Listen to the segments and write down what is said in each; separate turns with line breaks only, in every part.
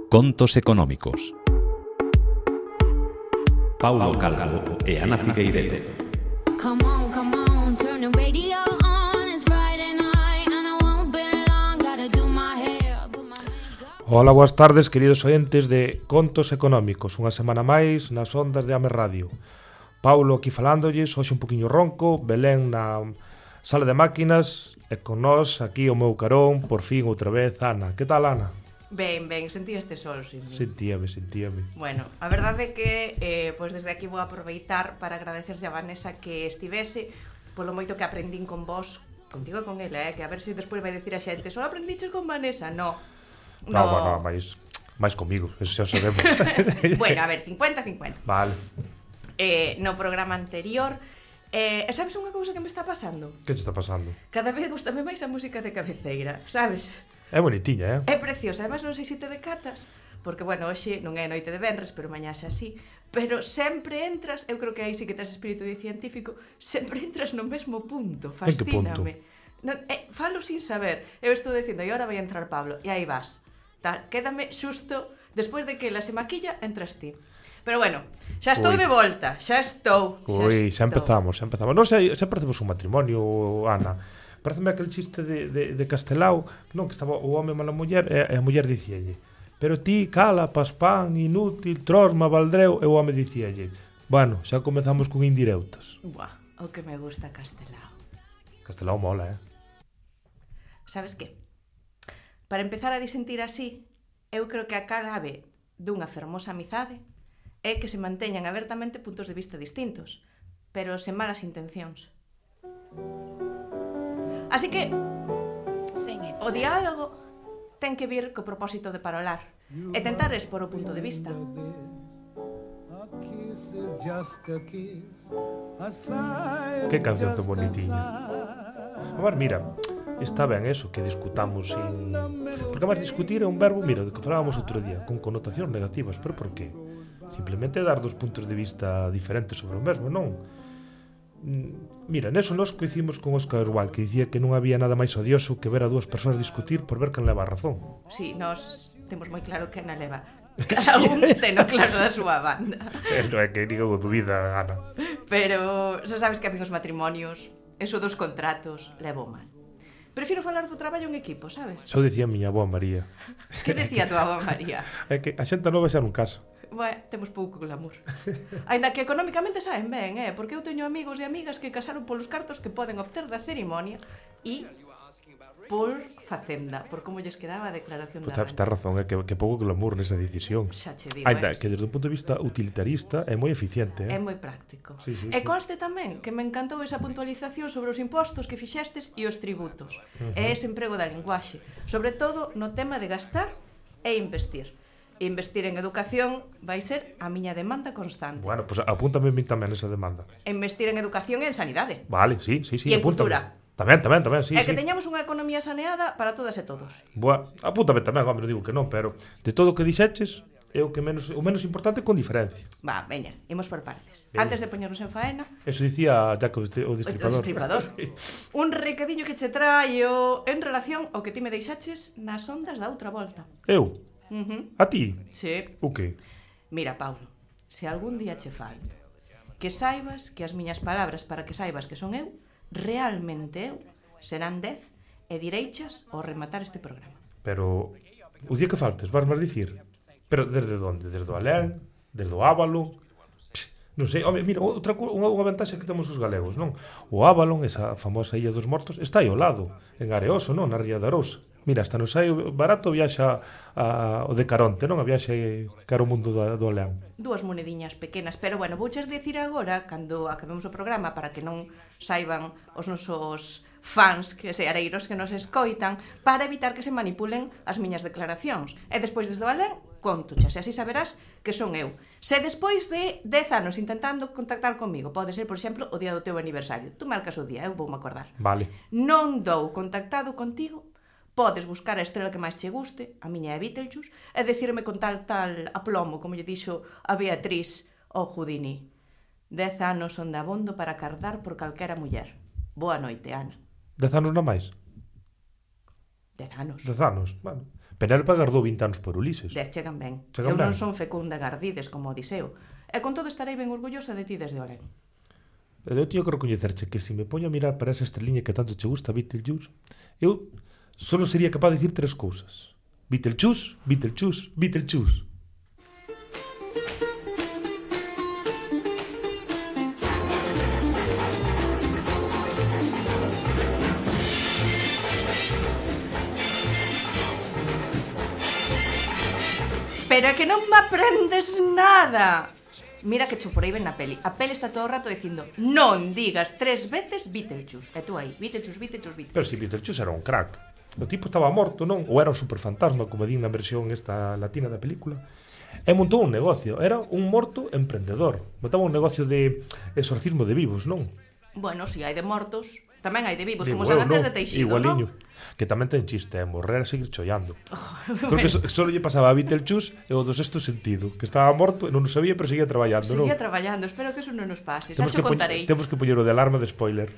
Contos económicos. Paulo Calvo e Ana Figueiredo.
Come on, turn the radio on. It's Friday night and I won't be long. Gotta do my hair, put my makeup.
Ola, boas tardes, queridos ointes de Contos Económicos. Unha semana máis nas ondas de Ame Radio. Paulo aquí falándolles, hoxe un poquinho ronco, Belén na sala de máquinas e con nós aquí o meu carón, por fin outra vez, Ana. Que tal, Ana?
Ben, sentí este sol, sí.
Sentíame.
Bueno, a verdade é que pois desde aquí vou aproveitar para agradecerlle a Vanessa que estivese polo moito que aprendín con vos, contigo e con ela, que a ver se despois vai dicir a xente só aprendiches con Vanessa, no,
máis comigo, eso xa sabemos.
Bueno, a ver, 50-50.
Vale.
No programa anterior, sabes unha cousa que me está pasando?
Que te está pasando?
Cada vez gustame máis a música de cabeceira, sabes?
É bonitiña,
É preciosa, además non sei se te decatas, porque, bueno, hoxe non é noite de venres, pero mañá xa así, pero sempre entras, eu creo que aí sí que tes espírito de científico, sempre entras no mesmo punto, fascíname. No, falo sin saber, eu estou dicindo, e agora vai entrar Pablo, e aí vas, tal, quédame xusto, despois de que ela se maquilla, entras ti. Pero bueno, xa estou de volta, xa estou.
Xa empezamos. Non sei, xa parecemos un matrimonio, Ana. Pareceme aquel chiste de Castelao, non, que estaba o home mala muller e a muller dicíalle: pero ti, cala, paspán, inútil, trosma, valdreu, e o home dicíalle: bueno, xa comezamos con indirectas.
Buah, o que me gusta Castelao.
Castelao mola,
Sabes que? Para empezar a disentir así, eu creo que a clave dunha fermosa amizade é que se manteñan abertamente puntos de vista distintos, pero sen malas intencións. Así que o diálogo ten que vir co propósito de parolar e tentar expor o punto de vista.
Que canción tan bonitiña. A ver, mira, está ben eso, que discutamos sin... Porque además discutir é un verbo, mira, do que falábamos outro día, con connotacións negativas, pero por qué? Simplemente dar dos puntos de vista diferentes sobre o mesmo, non? Mira, neso nós coincidimos con Óscar Wilde, que dicía que non había nada máis odioso que ver a dúas persoas discutir por ver quen leva a razón.
Sí, nós temos moi claro que Ana leva. Cada un teno claro da súa banda.
Non é que ninguén o dubida, Ana.
Pero xa sabes que a mí os matrimonios, eso dos contratos, levo mal. Prefiro falar do traballo en equipo, sabes?
Xa o dicía a miña avó María.
Que decía a tua avó María?
É que a xente nova xa non casa.
Bueno, temos pouco glamour. Ainda que económicamente saen ben, porque eu teño amigos e amigas que casaron polos cartos que poden obter da ceremonia e por facenda, por como lles quedaba a declaración da renta.
Tens razón, é que pouco glamour nesa decisión.
Xa che digo,
ainda que desde o punto de vista utilitarista é moi eficiente,
É moi práctico.
Sí,
e conste tamén que me encantou esa puntualización sobre os impostos que fixestes e os tributos. E ese emprego da linguaxe, sobre todo no tema de gastar e investir. Investir en educación vai ser a miña demanda constante.
Bueno, pois apúntame tamén esa demanda.
Investir en educación e en sanidade.
Vale, sí,
e en
apúntame.
cultura.
Tamén, sí.
E que teñamos unha economía saneada para todas e todos.
Boa, apúntame tamén, home, non digo que non, pero de todo o que dixeches, é o menos importante con diferencia.
Va, veña, imos por partes.
Veña.
Antes de poñernos en faena...
Eso dicía Jack o Destripador.
Un recadiño que che traio en relación ao que ti me deixaches nas ondas da outra volta.
Eu? A ti?
Sí.
O que?
Mira, Paulo, se algún día che falto, que saibas que as miñas palabras para que saibas que son eu, realmente eu, serán 10 e direichas ao rematar este programa.
Pero o día que faltes, vas máis dicir? Pero desde onde? Desde o Alén? Desde o Ábalo? Non sei, home, mira, unha vantaxe que temos os galegos, non? O Ábalo, esa famosa Illa dos Mortos, está aí ao lado, en Areoso, non? Na Ría de Arousa. Mira, hasta nos sai barato viaxa o de Caronte, non? A viaxe cara ao mundo do León.
Dúas monediñas pequenas, pero bueno, vouches dicir agora, cando acabemos o programa, para que non saiban os nosos fans, que se areiros que nos escoitan, para evitar que se manipulen as miñas declaracións. E despois desde o Alén, contochas, e así saberás que son eu. Se despois de 10 anos intentando contactar comigo, pode ser, por exemplo, o día do teu aniversario, tú marcas o día, eu vou me acordar.
Vale.
Non dou contactado contigo, podes buscar a estrela que máis che guste, a miña é Beetlejuice, e decirme con tal aplomo, como lle dixo a Beatriz ao Houdini. 10 anos son dabondo para cardar por calquera muller. Boa noite, Ana.
10 anos non máis?
10 anos.
10 anos, bueno. Penélope agardou 20 anos por Ulises.
Chegan ben.
Chegan
Eu non
ben.
son fecunda Gardides como Odiseo. E con todo estarei ben orgullosa de ti desde Olén.
Eu tío que recoñecerche que se me poño a mirar para esa estreliña que tanto che gusta, Beetlejuice, eu solo sería capaz de dicir 3 cousas. Beetlejuice, Beetlejuice, Beetlejuice.
Pero é que non me aprendes nada. Mira que cho por aí ben na peli. A peli está todo o rato dicindo non digas 3 veces Beetlejuice. E tú aí, Beetlejuice, Beetlejuice, Beetlejuice.
Pero si Beetlejuice era un crack. O tipo estaba morto, non? Ou era un superfantasma, como din na versión esta latina da película. E montou un negocio. Era un morto emprendedor. Montaba un negocio de exorcismo de vivos, non?
Bueno, si hai de mortos, tamén hai de vivos,
Digo,
como San Andrés
non,
de Teixido,
igualiño.
non?
Que tamén ten chiste, morrer e seguir chollando. Creo que solo lle pasaba a Beetlejuice e o do sexto sentido, que estaba morto e non o sabía, pero seguía traballando, non?
Seguía traballando, espero que eso non nos pase. Xa cho contarei.
Temos que poñer o de alarma de spoiler.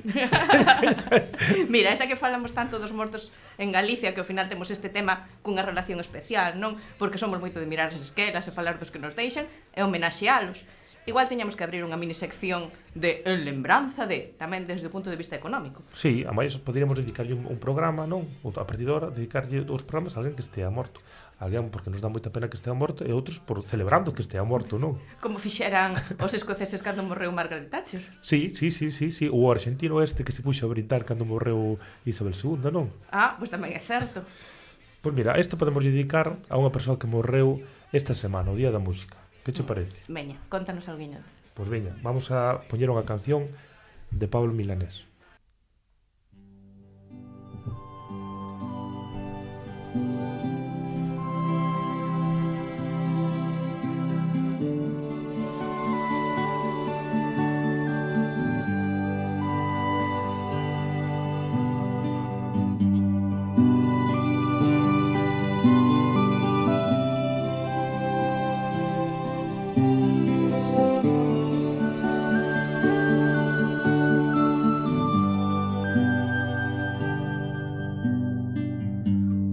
Mira, esa que falamos tanto dos mortos en Galicia, que ao final temos este tema cunha relación especial, non? Porque somos moito de mirar as esquelas e falar dos que nos deixan e homenaxealos. Igual teñamos que abrir unha minisección de En lembranza de, tamén desde o punto de vista económico.
Sí, a máis poderíamos dedicarlle un programa, non? Ou a partir de ahora dedicarlle os programas a alguén que estea morto. Alguén porque nos dá moita pena que estea morto e outros por celebrando que estea morto, non?
Como fixeran os escoceses cando morreu Margaret Thatcher.
Sí. O argentino este que se puxo a brindar cando morreu Isabel II, non?
Ah, pois tamén é certo.
Pois mira, isto podemos dedicar a unha persoa que morreu esta semana, o Día da Música. Que che parece?
Veña, contanos algo.
Pois veña, vamos a poñer unha canción de Pablo Milanés.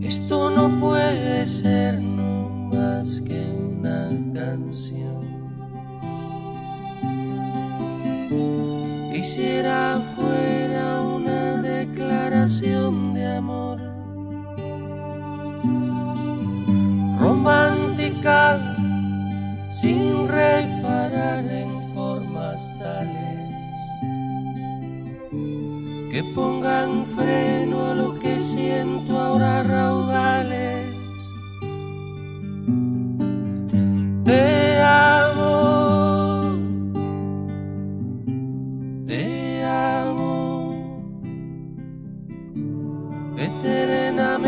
Esto no puede ser no más que una canción. Quisiera fuera una declaración de amor romántica, sin reparar en formas tales que pongan freno a lo que siento ahora raudales. Te amo,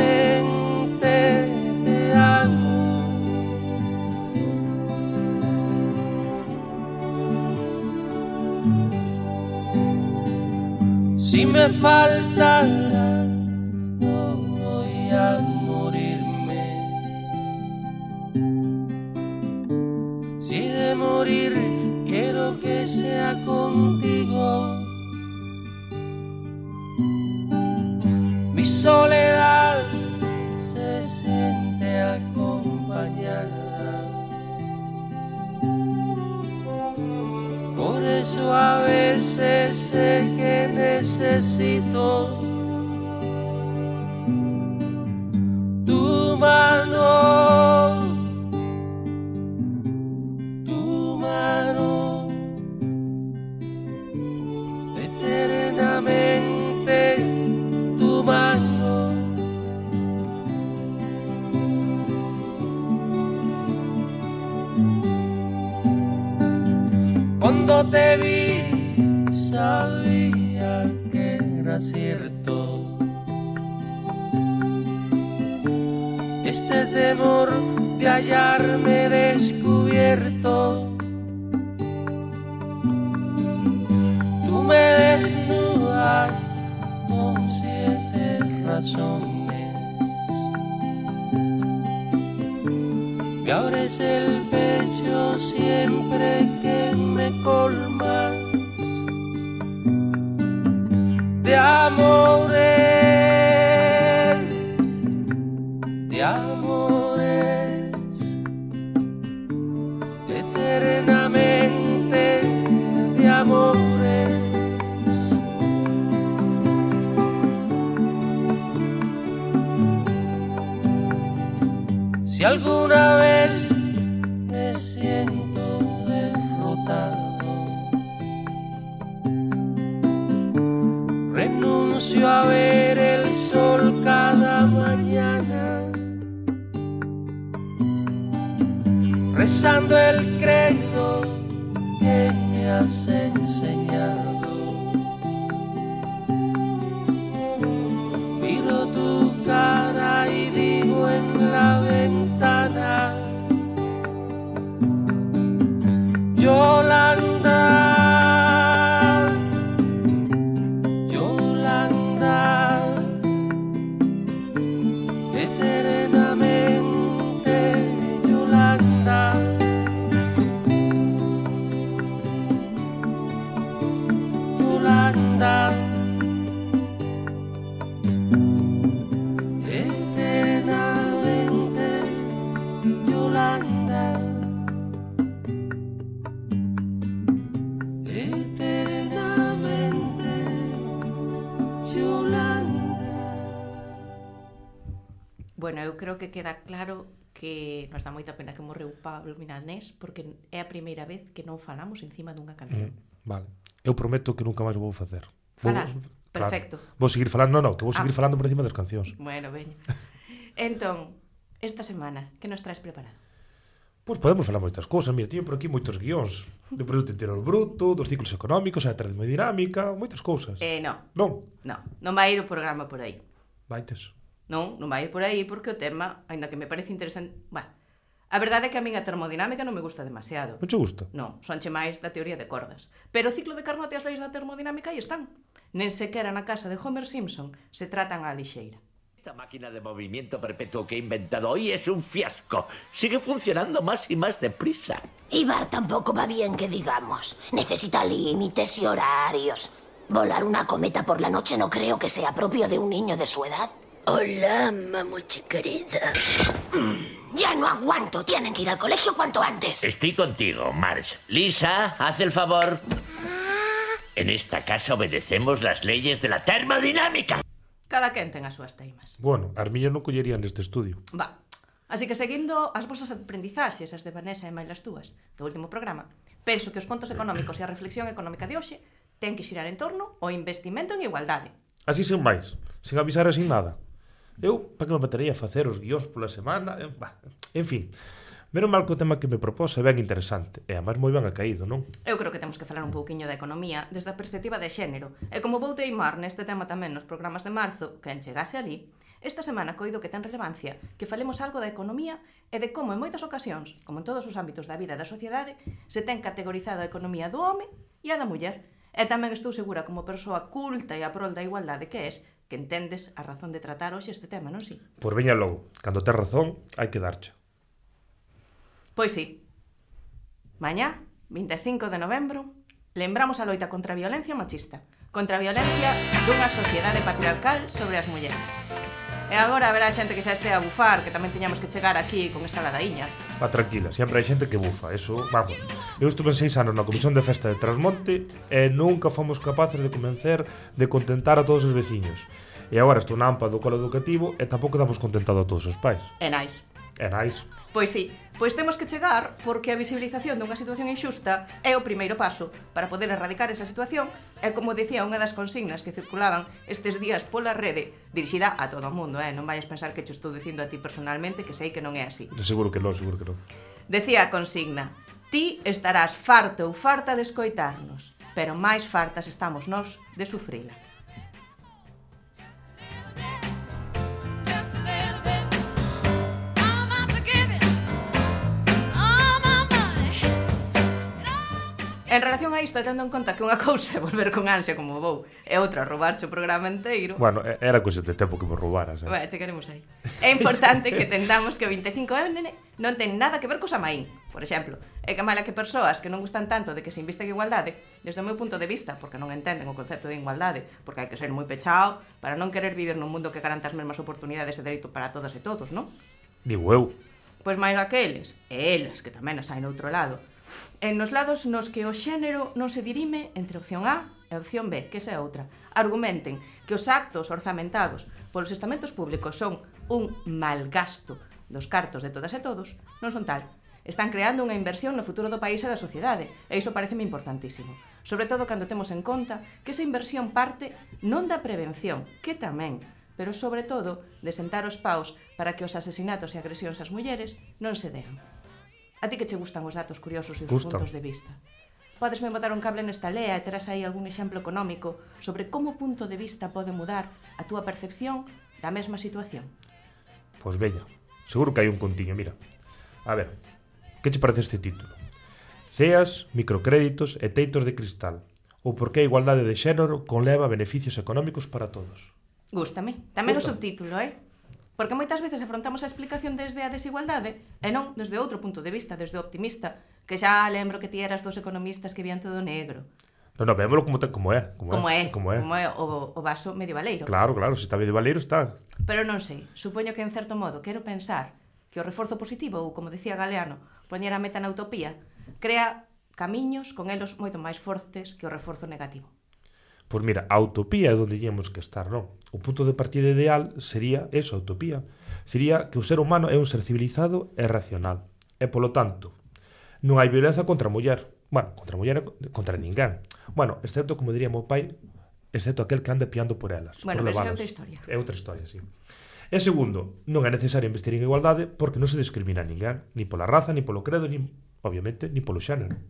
eternamente te amo. Si me faltaras, no voy a morirme. Si de morir quiero que sea contigo. Mi soledad se siente acompañada. Por eso a veces sé que necesito tu mano, eternamente tu mano. Cuando te vi sabía que era cierto este temor de hallarme descubierto. Tú me desnudas con 7 razones, me abres el pecho siempre que me colmas de amores, de amor. amores. Si alguna vez me siento derrotado, renuncio a ver el sol cada mañana, rezando el credo que me has enseñado. Miro tu cara y digo en la ventana: Yolanda, Yolanda, eternamente Yolanda. Yolanda, eternamente Yolanda, eternamente Yolanda.
Bueno, eu creo que queda claro que nos dá moita pena que morreu Pablo Milanés, porque é a primeira vez que non falamos encima dunha canción.
Vale. Eu prometo que nunca máis o vou facer.
Falar? Perfecto.
Claro. Vou seguir falando, que vou seguir falando por encima das cancións.
Bueno, veña. Entón, esta semana, que nos traes preparado?
Pois podemos falar moitas cousas. Mira, teño por aquí moitos guións do Produto Interior Bruto, dos ciclos económicos, a termodinámica, moitas cousas.
Non.
Non?
Non vai ir o programa por aí.
Vaites.
Non vai ir por aí porque o tema, aínda que me parece interesante... Bueno, a verdade é que a min a termodinámica non me gusta demasiado.
Non che gusta?
Non, sonche máis da teoría de cordas. Pero o ciclo de Carnot e as leis da termodinámica aí están. Nen sequera na casa de Homer Simpson se tratan á lixeira.
Esta máquina de movimiento perpetuo que he inventado hoy es un fiasco. Sigue funcionando más y más deprisa.
Ibar tampoco va bien, que digamos. Necesita límites y horarios. Volar una cometa por la noche no creo que sea propio de un niño de su edad. Hola, mamuchi querida. Ya no aguanto. Tienen que ir al colegio cuanto antes.
Estoy contigo, Marge. Lisa, haz el favor. En esta casa obedecemos las leyes de la termodinámica.
Cada quen ten as súas teimas.
Bueno, as miñas non collerían neste estudio.
Va. Así que seguindo as vosas aprendizaxes, as de Vanessa e máis as túas, do último programa, penso que os contos económicos e a reflexión económica de hoxe ten que xirar en torno ao investimento en igualdade.
Así sen máis, sen avisar e sin nada. Eu, para que me metería a facer os guións pola semana? En fin, menos mal que o tema que me propós é ben interesante, e además moi ben acaído, non?
Eu creo que temos que falar un pouquiño da economía desde a perspectiva de xénero, e como vou teimar neste tema tamén nos programas de marzo, que en chegase ali, esta semana coido que ten relevancia que falemos algo da economía e de como en moitas ocasións, como en todos os ámbitos da vida e da sociedade, se ten categorizado a economía do home e a da muller. E tamén estou segura, como persoa culta e a prol da igualdade que és, que entendes a razón de tratar hoxe este tema, non si?
Pois veña logo, cando tes razón, hai que darche.
Pois sí. Mañá, 25 de novembro, lembramos a loita contra a violencia machista, contra a violencia dunha sociedade patriarcal sobre as mulleres. E agora haberá xente que xa este a bufar, que tamén tiñamos que chegar aquí con esta ladaíña.
Va, tranquila, sempre hai xente que bufa, eso, vamos. Eu estuve 6 anos na Comisión de Festa de Trasmonte e nunca fomos capaces de convencer de contentar a todos os veciños. E agora estou na AMPA do colo educativo e tampouco damos contentado a todos os pais.
E nais.
É nais.
Pois sí, pois temos que chegar porque a visibilización dunha situación inxusta é o primeiro paso para poder erradicar esa situación e, como dicía unha das consignas que circulaban estes días pola rede, dirixida a todo o mundo, non vayas pensar que te estou dicindo a ti personalmente, que sei que non é así.
Seguro que non, seguro que non.
Decía a consigna: ti estarás farto ou farta de escoitarnos, pero máis fartas estamos nós de sufrila. En relación a isto, tendo en conta que unha cousa é volver con ansia como vou e outra roubarche o programa inteiro.
Bueno, era cousa de tempo que me roubaras.
Bueno, chegaremos aí. É importante que entendamos que o 25N non ten nada que ver co Samaín, por exemplo. É que mala que persoas que non gustan tanto de que se invista en igualdade, desde o meu punto de vista, porque non entenden o concepto de igualdade, porque hai que ser moi pechao para non querer vivir nun mundo que garanta as mesmas oportunidades e dereito para todas e todos, non?
Digo eu.
Pois máis aqueles, e eles, que tamén as hai no outro lado, nos lados nos que o xénero non se dirime entre opción A e opción B, que esa é outra. Argumenten que os actos orzamentados polos estamentos públicos son un malgasto dos cartos de todas e todos, non son tal. Están creando unha inversión no futuro do país e da sociedade, e iso pareceme importantísimo. Sobre todo cando temos en conta que esa inversión parte non da prevención, que tamén, pero sobre todo de sentar os paus para que os asesinatos e agresións ás mulleres non se dean. A ti que che gustan os datos curiosos e os puntos de vista? Podesme botar un cable nesta lea e terás aí algún exemplo económico sobre como o punto de vista pode mudar a túa percepción da mesma situación?
Pois veña, seguro que hai un contiño, mira. A ver, que che parece este título? CEAs, microcréditos e teitos de cristal. Ou por que a igualdade de xénero conleva beneficios económicos para todos.
Gústame. Tamén o subtítulo, Porque moitas veces afrontamos a explicación desde a desigualdade e non desde outro punto de vista, desde o optimista, que xa lembro que ti eras dos economistas que vían todo negro.
Non, vémolo como é.
Como é o vaso medievaleiro.
Claro, se está medievaleiro está.
Pero non sei, supoño que en certo modo quero pensar que o reforzo positivo, ou como decía Galeano, poñer a meta na utopía, crea camiños con elos moito máis fortes que o reforzo negativo.
Pois mira, a utopía é onde íamos que estar, non? O punto de partida ideal sería eso, a utopía. Sería que o ser humano é un ser civilizado e racional. E, polo tanto, non hai violencia contra a muller. Bueno, contra a muller e contra ninguén. Bueno, excepto, como diría meu pai, excepto aquel que ande piando por elas.
Bueno,
por
pero é outra historia.
É outra historia, sí. E segundo, non é necesario investir en igualdade porque non se discrimina a ninguén, ni pola raza, ni polo credo, ni, obviamente, ni polo xénero.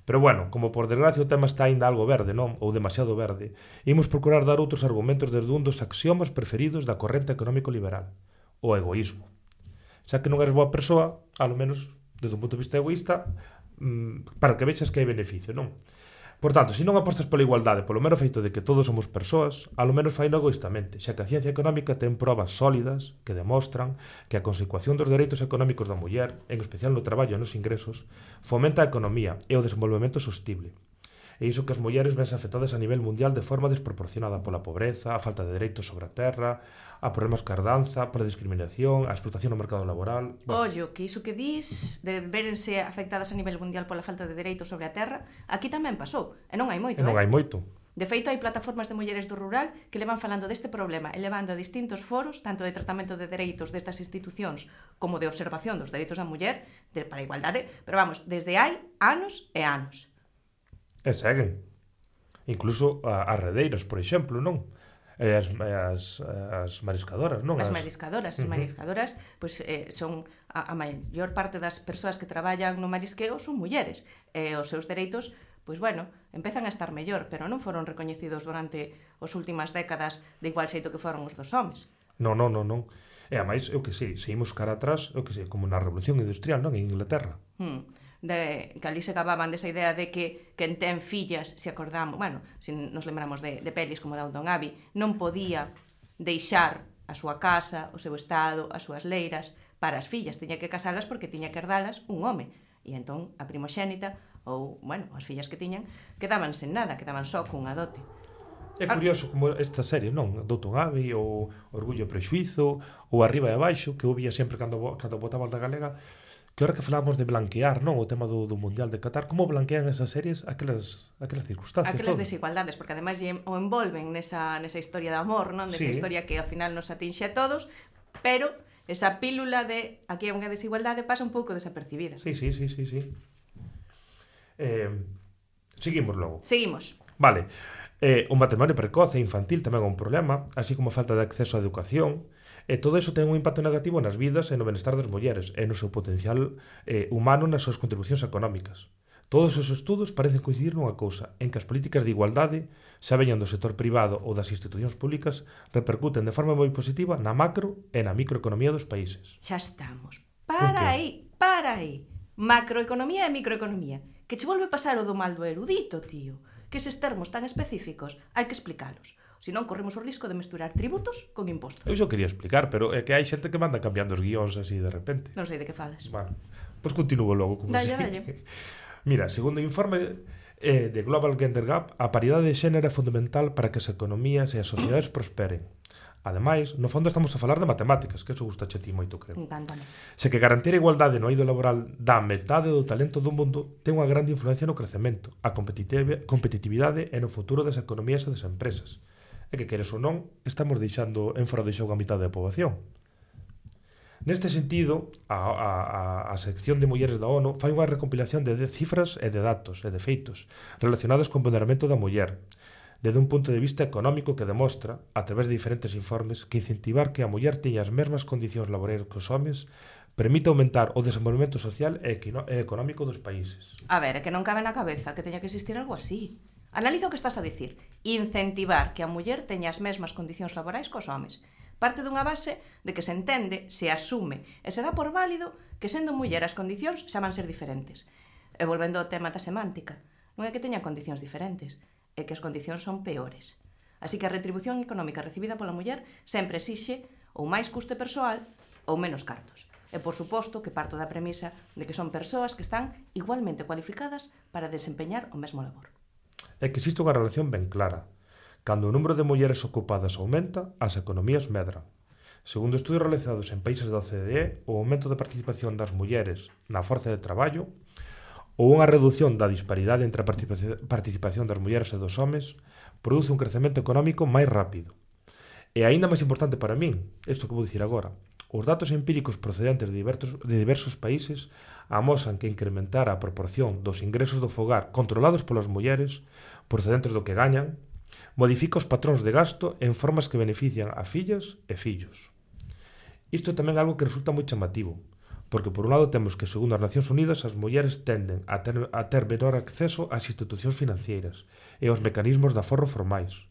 Pero bueno, como por desgracia o tema está aínda algo verde, non? Ou demasiado verde, imos procurar dar outros argumentos desde un dos axiomas preferidos da corrente económico liberal, o egoísmo. Xa que non eres boa persoa, alo menos desde un punto de vista egoísta, para que vexas que hai beneficio, non? Por tanto, se non apostas pola igualdade polo mero feito de que todos somos persoas, alo menos faino egoístamente, xa que a ciencia económica ten probas sólidas que demostran que a consecución dos dereitos económicos da muller, en especial no traballo e nos ingresos, fomenta a economía e o desenvolvemento sostible. E iso que as mulleres vense afectadas a nivel mundial de forma desproporcionada pola pobreza, a falta de dereitos sobre a terra, a problemas ca herdanza, pola discriminación, a explotación no mercado laboral...
Ollo, que iso que dis de verense afectadas a nivel mundial pola falta de dereitos sobre a terra, aquí tamén pasou, e non hai moito,
Non hai moito.
De feito, hai plataformas de mulleres do rural que levan falando deste problema e levando a distintos foros, tanto de tratamento de dereitos destas institucións como de observación dos dereitos da muller para a igualdade, pero vamos, desde hai anos e anos.
E seguen. Incluso as redeiras, por exemplo, non? E as mariscadoras, non?
As mariscadoras, pois son a maior parte das persoas que traballan no marisqueo son mulleres, e os seus dereitos, pois bueno, empezan a estar mellor, pero non foron recoñecidos durante as últimas décadas de igual xeito que foron os dos homes.
Non. E a máis, eu que sei, seguimos cara atrás, eu que sei, como na Revolución Industrial, non? En Inglaterra.
Que ali se gababan desa idea de que quen ten fillas, se acordamos, bueno, se nos lembramos de pelis como Downton Abbey, non podía deixar a súa casa, o seu estado, as súas leiras para as fillas, tiña que casalas porque tiña que herdalas un home, e entón a primoxénita ou, bueno, as fillas que tiñan quedaban sen nada, quedaban só cunha dote.
É curioso como esta serie, non? Downton Abbey, ou Orgullo e Prexuízo, ou Arriba e Abaixo, que eu vía sempre cando botaban da galega, que ahora que falábamos de blanquear, non, o tema do Mundial de Qatar, como blanquean esas series aquelas circunstancias,
aquelas desigualdades, porque ademais o envolven nesa historia de amor, non? Nesa historia que ao final nos atinxe a todos, pero esa pílula de aquí hai unha desigualdade pasa un pouco desapercibida.
Sí. Seguimos logo.
Seguimos.
Vale. O matrimonio precoce e infantil tamén é un problema, así como a falta de acceso á educación. E todo iso ten un impacto negativo nas vidas e no benestar das mulleres e no seu potencial humano nas súas contribucións económicas. Todos os estudos parecen coincidir nunha cousa, en que as políticas de igualdade, xa veñan do sector privado ou das institucións públicas, repercuten de forma moi positiva na macro e na microeconomía dos países.
Xa estamos. Para aí. Macroeconomía e microeconomía. Que che volve pasar o do mal do erudito, tío. Que eses termos tan específicos hai que explicalos. Senón corremos o risco de mesturar tributos con impostos.
Eu xo quería explicar, pero é que hai xente que manda cambiando os guións así de repente.
Non sei de que falas.
Bueno, pois continúo logo.
Dalle.
Mira, segundo o informe de Global Gender Gap, a paridade de xénero é fundamental para que as economías e as sociedades prosperen. Ademais, no fondo estamos a falar de matemáticas, que eso gusta a ti moito, creo.
Encántame.
Se que garantir a igualdade no eido laboral da metade do talento do mundo ten unha grande influencia no crecemento, a competitividade e no futuro das economías e das empresas. E que, queres ou non, estamos deixando en fora de xogo a mitad da poboación. Neste sentido, a sección de mulleres da ONU fai unha recompilación de cifras e de datos e de feitos relacionados con o empoderamento da muller, desde un punto de vista económico que demostra, a través de diferentes informes, que incentivar que a muller teña as mesmas condicións laborais que os homes permite aumentar o desenvolvemento social e económico dos países.
A ver, é que non cabe na cabeza que teña que existir algo así. Analiza o que estás a dicir. Incentivar que a muller teña as mesmas condicións laborais que os homes. Parte dunha base de que se entende, se asume e se dá por válido que sendo muller as condicións xa van ser diferentes. E volvendo ao tema da semántica, non é que teñan condicións diferentes, é que as condicións son peores. Así que a retribución económica recibida pola muller sempre exixe ou máis custe persoal ou menos cartos. E, por suposto, que parto da premisa de que son persoas que están igualmente cualificadas para desempeñar o mesmo labor.
É que existe unha relación ben clara. Cando o número de mulleres ocupadas aumenta, as economías medran. Segundo estudios realizados en países da OCDE, o aumento da participación das mulleres na forza de traballo ou unha redución da disparidade entre a participación das mulleres e dos homes produce un crecemento económico máis rápido. E aínda máis importante para min, isto que vou dicir agora, os datos empíricos procedentes de diversos países amosan que incrementar a proporción dos ingresos do fogar controlados polas mulleres procedentes do que gañan modifica os patróns de gasto en formas que benefician a fillas e fillos. Isto é tamén algo que resulta moi chamativo, porque por un lado temos que, segundo as Nacións Unidas, as mulleres tenden a ter menor acceso ás institucións financeiras e aos mecanismos de aforro formais,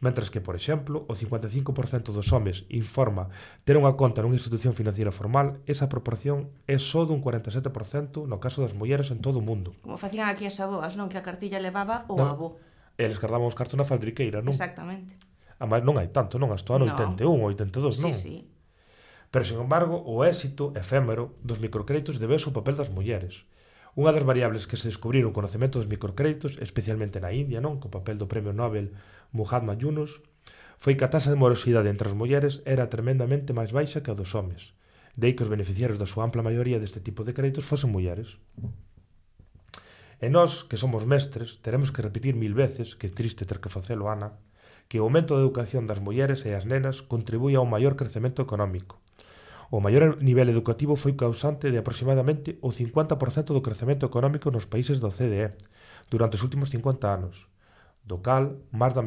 mentras que, por exemplo, o 55% dos homes informa ter unha conta nunha institución financiera formal, esa proporción é só dun 47% no caso das mulleres en todo o mundo.
Como facían aquí as aboas, non? Que a cartilla levaba o
No.
avó.
Eles cardaban os cartos na faldriqueira, non?
Exactamente.
Ademais, non hai tanto, non? Hasta o ano 81 ou 82, non?
Sí.
Pero, sin embargo, o éxito efémero dos microcréditos debese ao papel das mulleres. Unha das variables que se descubriron co conocemento dos microcréditos, especialmente na India, non? Co papel do premio Nobel Muhammad Yunus, foi que a taxa de morosidade entre as mulleres era tremendamente máis baixa que a dos homes. De aí que os beneficiarios da súa ampla maioría deste tipo de créditos fosen mulleres. E nós, que somos mestres, teremos que repetir 1000 veces, que é triste ter que facelo, Ana, que o aumento da educación das mulleres e as nenas contribúe a un maior crecemento económico. O maior nivel educativo foi causante de aproximadamente o 50% do crecemento económico nos países da OCDE durante os últimos 50 anos, do cal máis da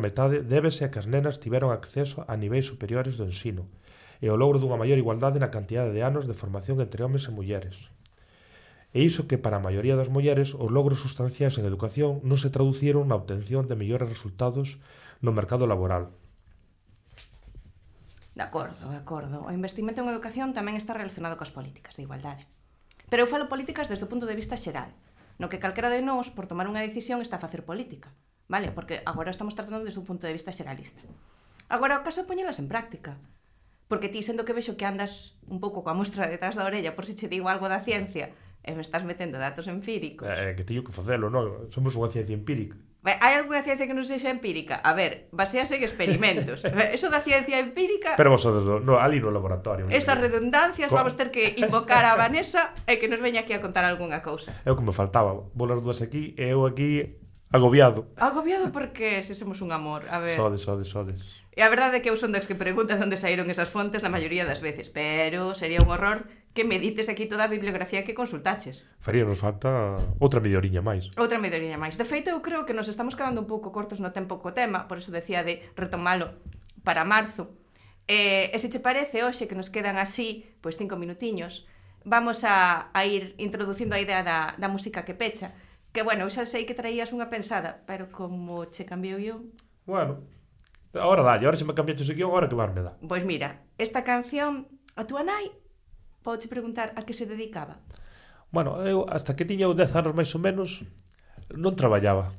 metade débese a que as nenas tiveron acceso a niveis superiores do ensino e ao logro dunha maior igualdade na cantidade de anos de formación entre homes e mulleres. E iso que para a maioría das mulleres os logros sustanciais en educación non se traduciron na obtención de mellores resultados no mercado laboral.
De acordo. O investimento en educación tamén está relacionado coas políticas de igualdade. Pero eu falo políticas desde o punto de vista xeral, no que calquera de nós, por tomar unha decisión, está a facer política, vale? Porque agora estamos tratando desde un punto de vista xeralista. Agora, o caso é poñelas en práctica. Porque ti, sendo que vexo que andas un pouco coa mostra detrás da orella por se che digo algo da ciencia e me estás metendo datos empíricos.
Que teño que facelo, non? Somos unha ciencia empírica.
Hai algunha ciencia que non sexa empírica? A ver, basease en experimentos. Eso da ciencia empírica...
Pero vos, ali no laboratorio.
Esas redundancias vamos ter que invocar a Vanessa e que nos veña aquí a contar algunha cousa.
É o que me faltaba. Vos as dúas aquí e eu aquí agobiado.
Agobiado porque se somos un amor. A ver...
Sodes.
E a verdade é que eu son das que preguntas onde saíron esas fontes na maioría das veces, pero sería un horror que medites aquí toda a bibliografía que consultaches.
Faría, nos falta outra media oriña máis.
Outra media oriña máis. De feito, eu creo que nos estamos quedando un pouco cortos no tempo co tema, por eso decía de retomalo para marzo. E se che parece, hoxe que nos quedan así, pois 5 minutiños, vamos a ir introducindo a idea da música que pecha, que, bueno, eu xa sei que traías unha pensada, pero como che cambiou eu...
Bueno... Ahora se me cambiaste o guión, agora que máis me dá.
Pois mira, esta canción, a túa nai, podes preguntar a que se dedicaba?
Bueno, eu hasta que tiña 10 anos máis ou menos, non traballaba.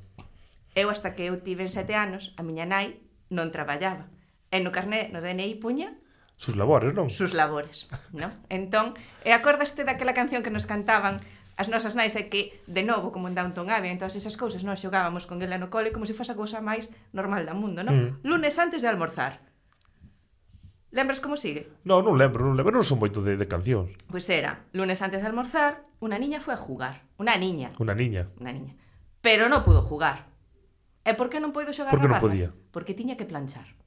Eu hasta que eu tive 7 anos, a miña nai non traballaba. E no carné, no DNI puña...
Sus labores, non?
Sus labores, non? Entón, e acordaste daquela canción que nos cantaban as nosas nais é que, de novo, como en Downton Abbey, en todas esas cousas, nós xogábamos con ela no cole como se fose a cousa máis normal do mundo, non? Lunes antes de almorzar. Lembras como sigue?
Non lembro, non son moito de cancións.
Pois era, lunes antes de almorzar, una niña foi a jugar. Una niña. Pero non pudo jugar. E por que non puido xogar
Por que
na
non
raza?
podía?
Porque tiña que planchar.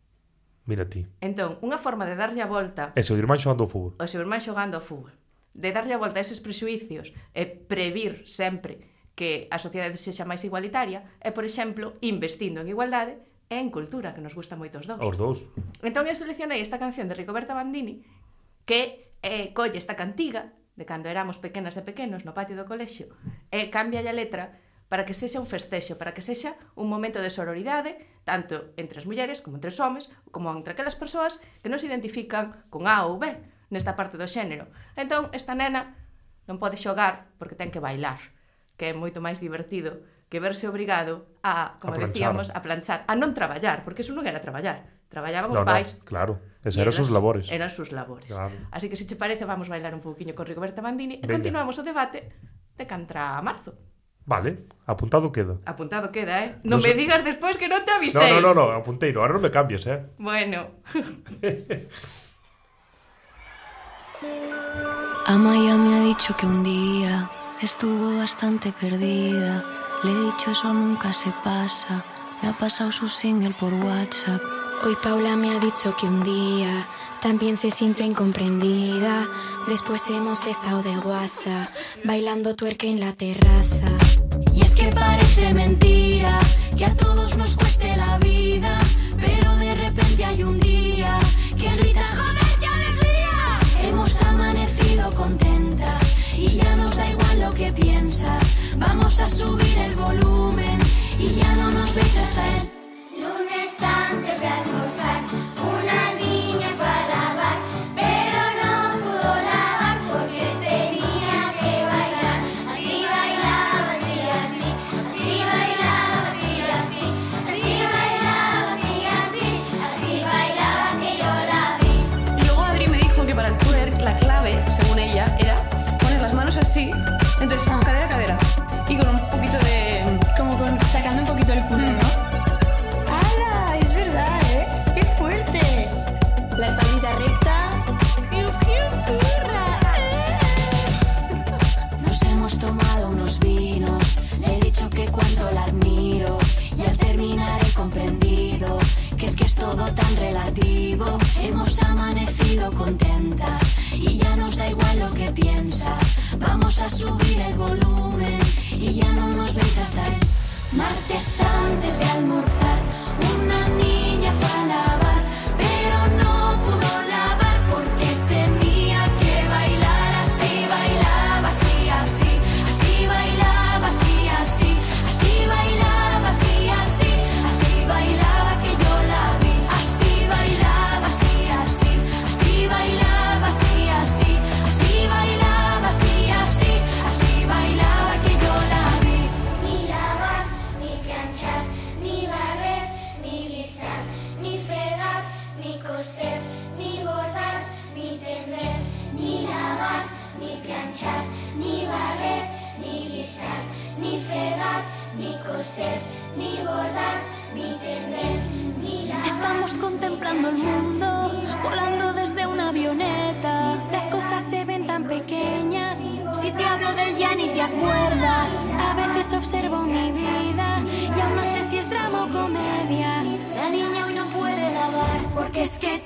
Mira ti.
Entón, unha forma de darlle a volta...
E seu irmán xogando ao fútbol.
O seu irmán xogando ao fútbol. De darlle a volta a eses presuicios e previr sempre que a sociedade sexa máis igualitaria é, por exemplo, investindo en igualdade e en cultura, que nos gusta moito os dous.
Os dous.
Entón eu seleccionei esta canción de Rigoberta Bandini que colle esta cantiga de cando éramos pequenas e pequenos no patio do colexio e cambia a letra para que sexa un festexo, para que sexa un momento de sororidade tanto entre as mulleres como entre os homes como entre aquelas persoas que non se identifican con A ou B nesta parte do xénero. Entón esta nena non pode xogar porque ten que bailar, que é moito máis divertido que verse obrigado a, como decíamos, a planchar, a non traballar, porque eso non era traballar. Traballaban os pais.
Claro, esas eran sus labores.
Eran sus labores.
Claro.
Así que, se che parece, vamos bailar un pouquiño con Rigoberta Bandini e continuamos o debate de cantra a marzo.
Vale, apuntado queda.
Apuntado queda, Non me digas despois que non te avisei.
No, apuntei, ahora non me cambies,
Bueno.
Amaya me ha dicho que un día estuvo bastante perdida. Le he dicho eso nunca se pasa. Me ha pasado su single por WhatsApp.
Hoy Paula me ha dicho que un día también se sintió incomprendida. Después hemos estado de guasa, bailando tuerca en la terraza.
Y es que parece mentira que a todos nos cueste la vida, pero de repente hay un día que gritas ¡joder, qué alegría! Hemos amanecido contentas y ya nos da igual lo que piensas. Vamos a subir el volumen y ya no nos veis hasta el
lunes antes de almorzar, una niña fue a lavar, pero no pudo lavar porque tenía que bailar. Así bailaba, así, así, así bailaba, así, así, así bailaba, así, así, así bailaba que yo la vi.
Y luego Adri me dijo que para el twerk la clave, según ella, era poner las manos así, entonces cadera a cadera y con un poquito de...
como sacando un poquito el culo, ¿no? ¡Hala! Es verdad, ¡Qué fuerte! La espaldita recta.
Nos hemos tomado unos vinos, le he dicho que cuánto la admiro y al terminar he comprendido que es todo tan relativo. Hemos amanecido contentas y ya nos da igual lo que piensas. Vamos a subir el volumen y ya no nos veis hasta el martes antes de almorzar. Una niña fue a lavar, pero no pudo lavar porque tenía que bailar. Así bailaba, así, así, así bailaba, así, así, así bailaba, así, así, así bailaba que yo la vi. Así bailaba, así, así, así bailaba, así, así, así bailaba, así, así, así bailaba que yo la vi.
Ni lavar, ni planchar, ni barrer, ni guisar, ni fregar, ni coser, ni bordar, ni tender. Ni lavar, ni planchar, ni barrer, ni guisar, ni fregar, ni coser, ni bordar, ni tender. Ni lavar.
Estamos contemplando el mundo, volando desde una avioneta.
Las cosas se ven tan pequeñas.
Si te hablo del ya ni te acuerdas.
A veces observo mi vida y aún no sé si es drama o comedia.
La niña hoy no puede lavar porque es que